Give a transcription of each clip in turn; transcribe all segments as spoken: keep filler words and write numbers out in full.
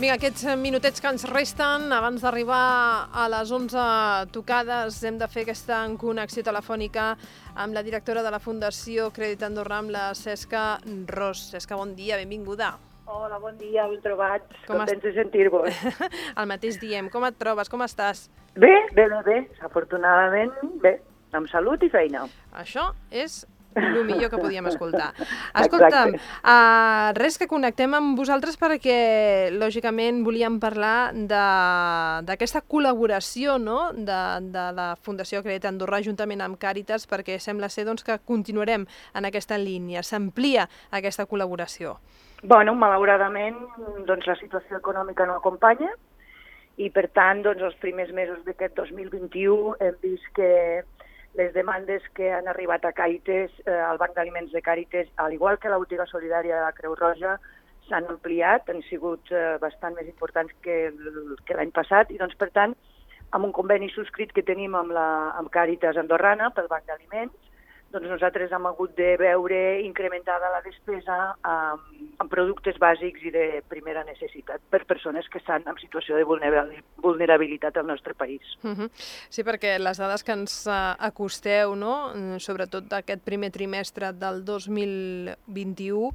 Vinga, aquests minutets que ens resten, abans d'arribar a les onze tocades, hem de fer aquesta connexió telefònica amb la directora de la Fundació Crèdit Andorra, amb la Cesca Ros. Cesca, bon dia, benvinguda. Hola, bon dia, ben trobats. Com Contents de sentir-vos. El mateix diem. Com et trobes? Com estàs? Bé, bé, bé, bé. Afortunadament, bé. Amb salut i feina. Això és el millor que podíem escoltar. Escolta'm, uh, res, que connectem amb vosaltres perquè, lògicament, volíem parlar d'aquesta col·laboració, no?, de, de la Fundació Crèdit Andorra juntament amb Càritas, perquè sembla ser doncs, que continuarem en aquesta línia. S'amplia aquesta col·laboració. Bueno, malauradament, doncs, la situació econòmica no acompanya i, per tant, doncs, els primers mesos d'aquest dos mil vint-i-u hem vist que les demandes que han arribat a Càritas, eh, al Banc d'Aliments de Càritas, al igual que la botiga solidària de la Creu Roja, s'han ampliat, han sigut eh, bastant més importants que, que l'any passat i, doncs, per tant, amb un conveni subscrit que tenim amb, la, amb Càritas Andorrana pel Banc d'Aliments, doncs nosaltres hem hagut de veure incrementada la despesa amb, amb productes bàsics i de primera necessitat per persones que estan en situació de vulnerabilitat al nostre país. Uh-huh. Sí, perquè les dades que ens acosteu, no?, sobretot d'aquest primer trimestre del dos mil vint-i-u,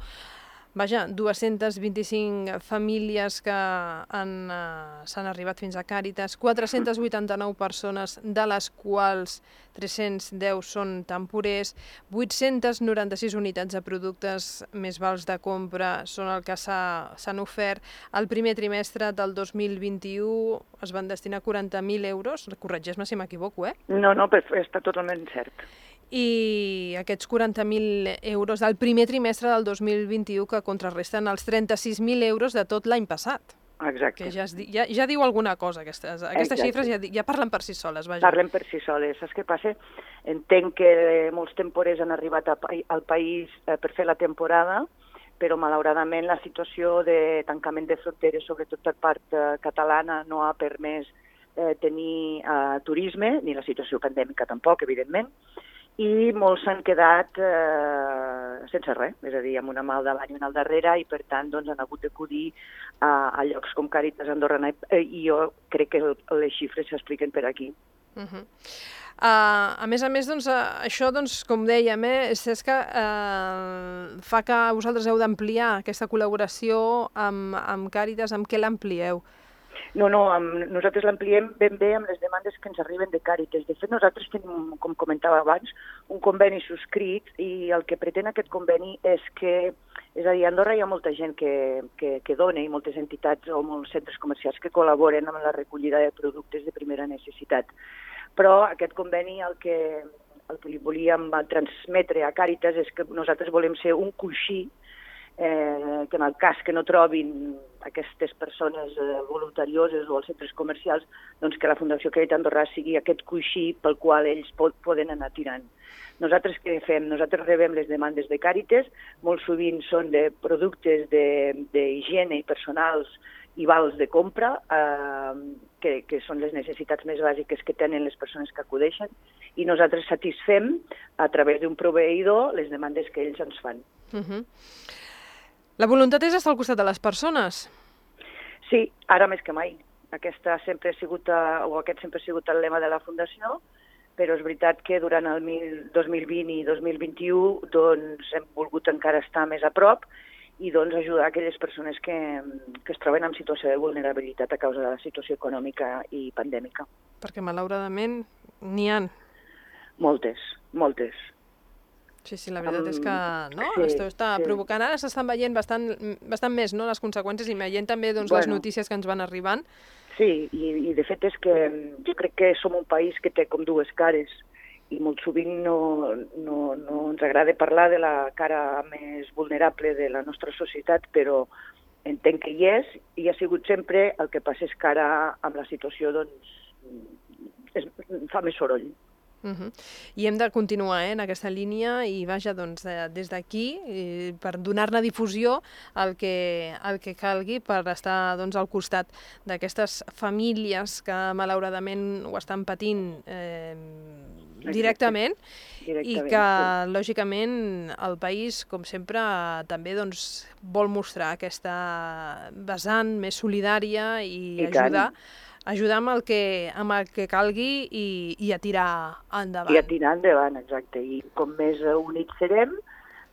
vaja, dues-centes vint-i-cinc famílies que han, uh, s'han arribat fins a Càritas, quatre-centes vuitanta-nou persones, de les quals tres-cents deu són temporers, vuit-centes noranta-sis unitats de productes més vals de compra són el que s'han ofert. El primer trimestre del dos mil vint-i-u es van destinar quaranta mil euros, corregeix-me si m'equivoco, eh? No, no, però està totalment cert. I aquests quaranta mil euros del primer trimestre del dos mil vint-i-u que contrarresten els trenta-sis mil euros de tot l'any passat. Exacte. Que ja, es, ja, ja diu alguna cosa, aquestes, aquestes Exacte. xifres ja, ja parlen per si soles. Vaja. Parlen per si soles. Saps què passa? Entenc que molts temporers han arribat a, al país eh, per fer la temporada, però malauradament la situació de tancament de fronteres, sobretot per part eh, catalana, no ha permès eh, tenir eh, turisme, ni la situació pandèmica tampoc, evidentment, i molts s'han quedat eh, sense res, és a dir, amb una mà al davant i una al darrere, i per tant doncs, han hagut d'acudir a, a llocs com Càritas Andorrana, i jo crec que les xifres s'expliquen per aquí. Uh-huh. Uh, a més a més, doncs, uh, això, doncs, com dèiem, eh, Cesca, uh, fa que vosaltres heu d'ampliar aquesta col·laboració amb, amb Càritas. Amb què l'amplieu? No, no, amb, nosaltres l'ampliem ben bé amb les demandes que ens arriben de Càritas. De fet, nosaltres tenim, com comentava abans, un conveni subscrit, i el que pretén aquest conveni és que, és a dir, a Andorra hi ha molta gent que, que, que dona, i moltes entitats o molts centres comercials que col·laboren amb la recollida de productes de primera necessitat. Però aquest conveni el que, el que li volíem transmetre a Càritas és que nosaltres volem ser un coixí Eh, que en el cas que no trobin aquestes persones eh, voluntarioses o els centres comercials, doncs que la Fundació Crèdit Andorra sigui aquest coixí pel qual ells pot, poden anar tirant. Nosaltres què fem? Nosaltres rebem les demandes de Càritas, molt sovint són de productes d'higiene i personals i vals de compra, eh, que, que són les necessitats més bàsiques que tenen les persones que acudeixen, i nosaltres satisfem a través d'un proveïdor les demandes que ells ens fan. Uh-huh. La voluntat és estar al costat de les persones? Sí, ara més que mai. Aquesta sempre ha sigut, o aquest sempre ha sigut el lema de la Fundació, però és veritat que durant el dos mil vint i dos mil vint-i-u doncs, hem volgut encara estar més a prop i doncs, ajudar aquelles persones que, que es troben en situació de vulnerabilitat a causa de la situació econòmica i pandèmica. Perquè, malauradament, n'hi ha. Moltes, moltes. Sí, sí, la veritat um, és que no? Sí, Esto està sí. provocant, ara s'estan veient bastant, bastant més, no?, les conseqüències, i veient també doncs, bueno, les notícies que ens van arribant. Sí, i, i de fet és que jo crec que som un país que té com dues cares, i molt sovint no, no, no ens agrada parlar de la cara més vulnerable de la nostra societat, però entenc que hi és, i ha sigut sempre. El que passa és que ara, amb la situació, doncs, es, fa més soroll. Uh-huh. I hem de continuar eh, en aquesta línia i vaja, doncs, des d'aquí, eh, per donar-ne difusió al que, al que calgui per estar doncs, al costat d'aquestes famílies que malauradament ho estan patint eh, directament, directament, i que, sí. lògicament, el país, com sempre, també doncs, vol mostrar aquesta vessant més solidària i, I ajudar, ajudar amb el que, amb el que calgui i, i a tirar endavant. I a tirar endavant, exacte. I com més units serem,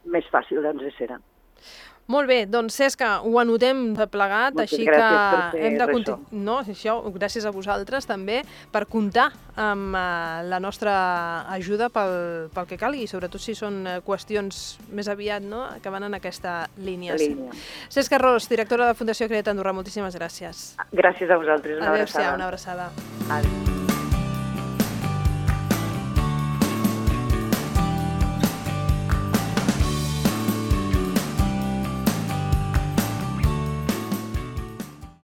més fàcil ens serà. Molt bé, doncs Cesca, ho anotem plegat, Moltes així que hem de continuar. No, això, gràcies a vosaltres també per comptar amb uh, la nostra ajuda pel, pel que calgui, sobretot si són qüestions més aviat, no?, que van en aquesta línia. línia. Cesca Ros, directora de Fundació Crea't Andorra, moltíssimes gràcies. Gràcies a vosaltres, una Adéu-siau, abraçada. una abraçada. Adéu.